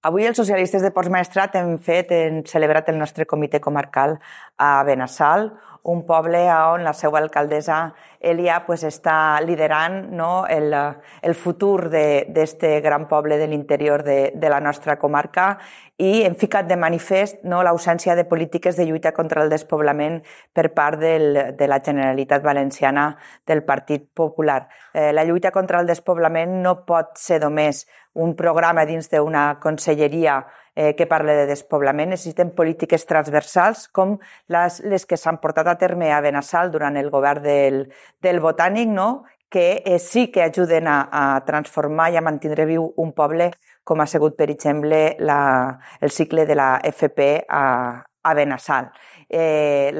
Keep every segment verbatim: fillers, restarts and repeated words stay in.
Avui els socialistes de Ports Maestrat hem fet, hem celebrat el nostre comitè comarcal a Benassal, un poble on la seva alcaldessa Elia pues, està liderant no, el, el futur d'aquest gran poble de l'interior de, de la nostra comarca i hem ficat de manifest no, l'ausència de polítiques de lluita contra el despoblament per part del, de la Generalitat Valenciana del Partit Popular. Eh, la lluita contra el despoblament no pot ser només un programa dins d'una conselleria eh, que parla de despoblament. Necessitem polítiques transversals com les, les que s'han portat a terme a Benassal durant el govern del, del Botànic, no? que eh, sí que ajuden a, a transformar i a mantenir viu un poble com ha sigut, per exemple, la, el cicle de la F P a, a Benassal. Eh,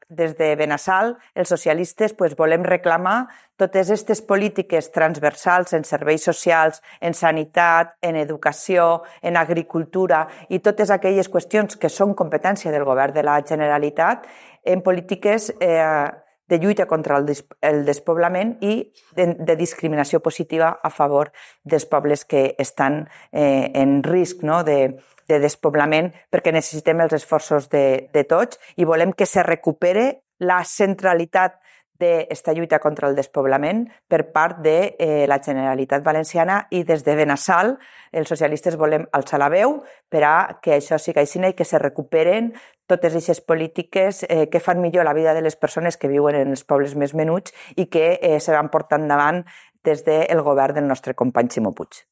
des de Benassal, els socialistes pues, volem reclamar totes aquestes polítiques transversals en serveis socials, en sanitat, en educació, en agricultura i totes aquelles qüestions que són competència del govern de la Generalitat en polítiques eh, de lluita contra el, el despoblament i de, de discriminació positiva a favor dels pobles que estan eh, en risc no? de, de despoblament perquè necessitem els esforços de, de tots i volem que se recupere la centralitat d'esta lluita contra el despoblament per part de eh, la Generalitat Valenciana i des de Benassal els socialistes volem alçar la veu per a que això sigui així i que se recuperen totes aquestes polítiques eh, que fan millor la vida de les persones que viuen en els pobles més menuts i que eh, se van portar endavant des del govern del nostre company Ximo Puig.